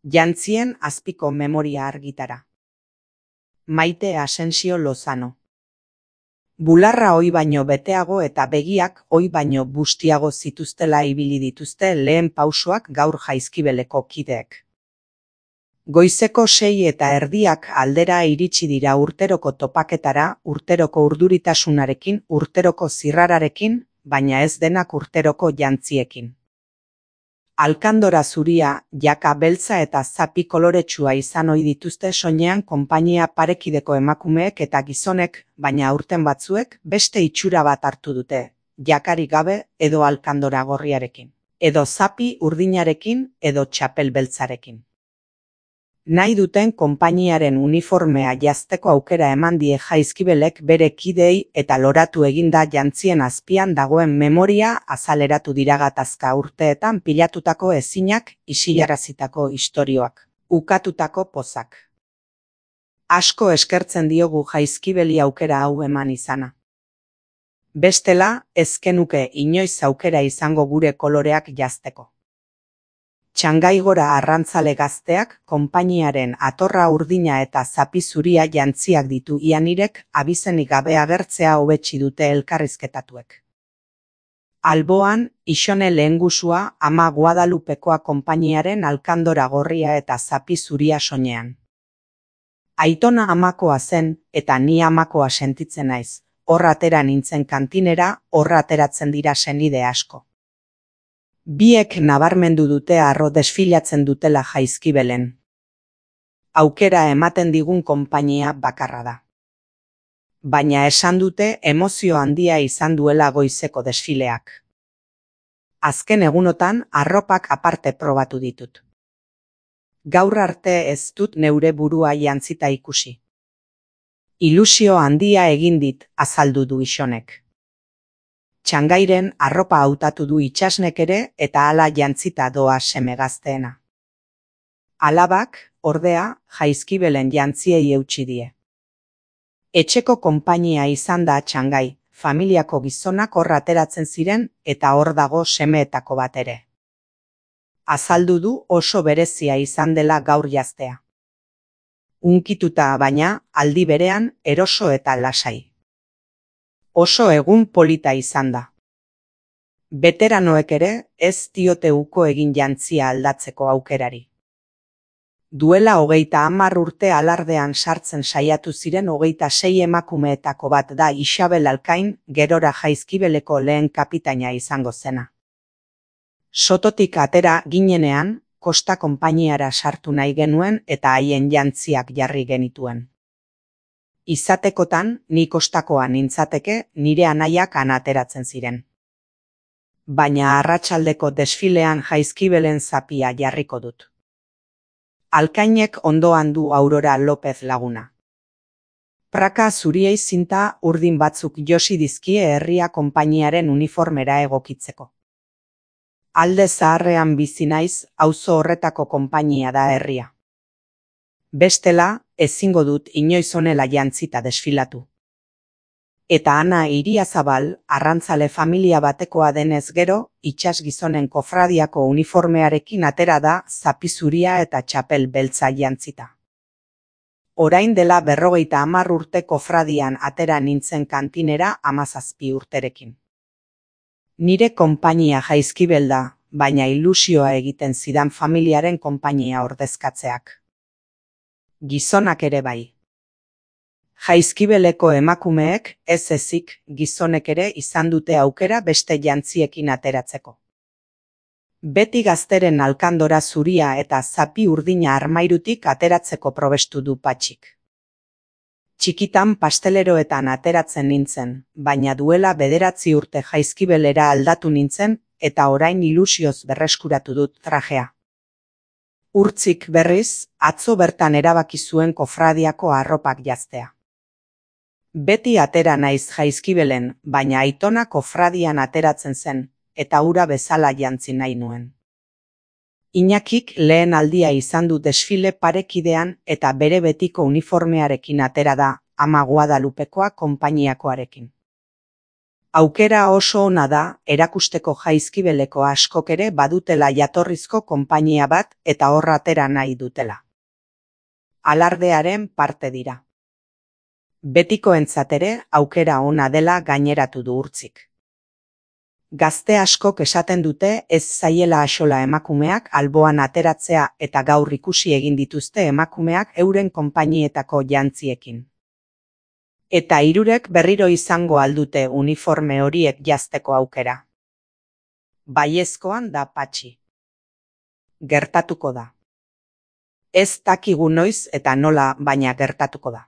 Jantzien azpiko memoria argitara. Maite Asensio Lozano. Bularra ohi baino beteago eta begiak ohi baino bustiago zituztela ibili dituzte lehen pausoak gaur Jaizkibeleko kideek. Goizeko 6:30 aldera iritsi dira urteroko topaketara, urteroko urduritasunarekin, urteroko zirrararekin, baina ez denak urteroko jantziekin. Alkandora zuria, jaka beltza eta zapi koloretsua izan ohi dituzte soinean konpainia parekideko emakumeek eta gizonek, baina aurten batzuek beste itxura bat hartu dute, jakarik gabe edo alkandora gorriarekin, edo zapi urdinarekin edo txapel beltzarekin. Nahi duten konpainiaren uniformea jazteko aukera eman die Jaizkibelek bere kideei eta loratu eginda jantzien azpian dagoen memoria azaleratu dira gatazka urteetan pilatutako ezinak, isilarazitako istorioak, ukatutako pozak. Asko eskertzen diogu Jaizkibeli aukera hau eman izana. Bestela, ez genuke inoiz aukera izango gure koloreak jazteko. Txangaigora arrantzale gazteak konpainiaren atorra urdina eta zapi zuria jantziak ditu ianirek abizenik gabe agertzea hobetsi dute elkarrizketatuek. Alboan, Ixone lehengusua ama Guadalupekoa konpainiaren alkandora gorria eta zapi zuria soinean. Aitona amakoa zen eta ni amakoa sentitzen naiz, hor atera nintzen kantinera, hor ateratzen dira senide asko. Biek nabarmendu dute harro desfilatzen dutela Jaizkibelen. Aukera ematen digun konpainia bakarra da. Baina esan dute emozio handia izan duela goizeko desfileak. Azken egunotan arropak aparte probatu ditut. Gaur arte ez dut neure burua jantzita ikusi. Ilusio handia egin dit, azaldu du Ixonek. Txangairen arropa hautatu du Itsasnek ere eta hala jantzita doa seme gazteena. Alabak, ordea, Jaizkibelen jantziei eutsi die. Etxeko konpainia izan da Txangai, familiako gizonak hor ateratzen ziren eta hor dago semeetako bat ere. Azaldu du oso berezia izan dela gaur jaztea. Unkituta baina, aldi berean, eroso eta lasai. Oso egun polita izan da. Beteranoek ere ez diote uko egin jantzia aldatzeko aukerari. Duela 30 urte alardean sartzen saiatu ziren 26 emakumeetako bat da Isabel Alkain, gerora Jaizkibeleko lehen kapitaina izango zena. Sototik atera ginenean, Kosta konpainiara sartu nahi genuen eta haien jantziak jarri genituen. Izatekotan, ni kostakoa nintzateke, nire anaiak han ateratzen ziren. Baina arratsaldeko desfilean Jaizkibelen zapia jarriko dut. Alkainek ondoan du Aurora López laguna. Praka zuriei zinta urdin batzuk josi dizkie herria konpainiaren uniformera egokitzeko. Alde zaharrean bizi naiz, auzo horretako konpainia da herria. Bestela, ezingo dut inoiz honela jantzita desfilatu. Eta Ana Iriazabal, arrantzale familia batekoa denez gero, itsas gizonen kofradiako uniformearekin atera da zapi zuria eta txapel beltza jantzita. Orain dela 50 urte kofradian atera nintzen kantinera 17 urterekin. Nire konpainia Jaizkibel da, baina ilusioa egiten zidan familiaren konpainia ordezkatzeak. Gizonak ere bai. Jaizkibeleko emakumeek, ez ezik, gizonek ere izan dute aukera beste jantziekin ateratzeko. Beti gazteren alkandora zuria eta zapi urdina armairutik ateratzeko probestu du Patxik. Txikitan pasteleroetan ateratzen nintzen, baina duela 9 urte Jaizkibelera aldatu nintzen eta orain ilusioz berreskuratu dut trajea. Urtzik berriz, atzo bertan erabaki zuen kofradiako arropak jaztea. Beti atera naiz Jaizkibelen, baina aitona kofradian ateratzen zen, eta hura bezala jantzi nahi nuen. Iñakik lehen aldia izan du desfile parekidean eta bere betiko uniformearekin atera da, ama Guadalupekoa konpainiakoarekin. Aukera oso ona da erakusteko jaizkibeleko askok ere badutela jatorrizko konpainia bat eta hor atera nahi dutela. Alardearen parte dira. Betikoentzat ere aukera ona dela gaineratu du Urtzik. Gazte askok esaten dute ez zaiela axola emakumeak alboan ateratzea eta gaur ikusi egin dituzte emakumeak euren konpainietako jantziekin. Eta hirurek berriro izango aldute uniforme horiek jazteko aukera. Baiezkoan da Patxi. Gertatuko da. Ez dakigu noiz eta nola, baina gertatuko da.